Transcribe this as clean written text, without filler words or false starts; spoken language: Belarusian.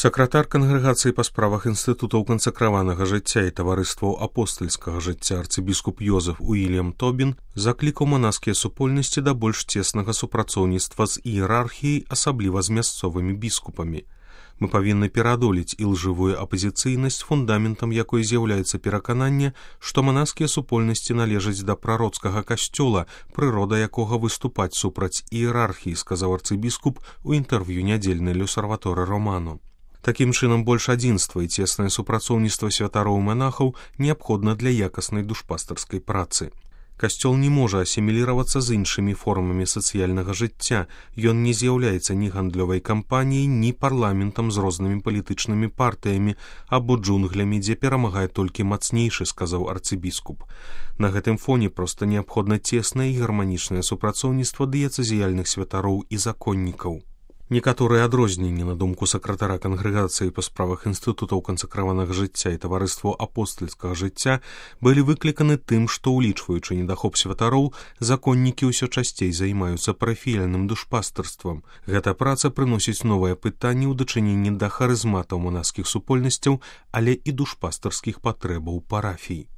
Сакратар кангрэгацыі па справах інстытутаў кансакраванага жыцця і таварыстваў апостальскага жыцця арцыбіскуп Йозеф Уільям Тобін заклікаў манаскія супольнасці да больш цеснага супрацоўніцтва з іерархіяй, асабліва з мясцовымі біскупамі. Мы павінны пераадолець ілжывую апазіцыйнасць, фундаментам якой з'яўляецца перакананне, што манаскія супольнасці належаць да прароцкага касцёла, прырода якога выступаць супраць іерархіі, сказаў арцыбіскуп у інтэрв'ю нядзельнай L'Osservatore Romano. Такім чынам, больш адзінства і цеснае супрацоўніцтва святароў і манахаў неабходна для якаснай душпастарскай працы. Касцёл не можа асіміліравацца з іншымі формамі сацыяльнага жыцця, ён не з'яўляецца ні гандлёвай кампаніяй, ні парламентам з рознымі палітычнымі партыямі або джунглямі, дзе перамагае толькі мацнейшы, сказаў арцыбіскуп. На гэтым фоне проста неабходна цеснае і гарманічнае супрацоўніцтва дыяцэзіяльных святароў і законнікаў. Некаторыя адрозненні, на думку сакратара кангрэгацыі па справах інстытутаў кансакраванага жыцця і таварыстваў апостальскага жыцця былі выкліканы тым, што, улічваючы недахоп святароў, законнікі ўсё часцей займаюцца парафіяльным душпастарствам. Гэта праца прыносіць новыя пытанні ў дачыненні да харызматаў манаскіх супольнасцяў, але і душпастарскіх патрэбаў парафій.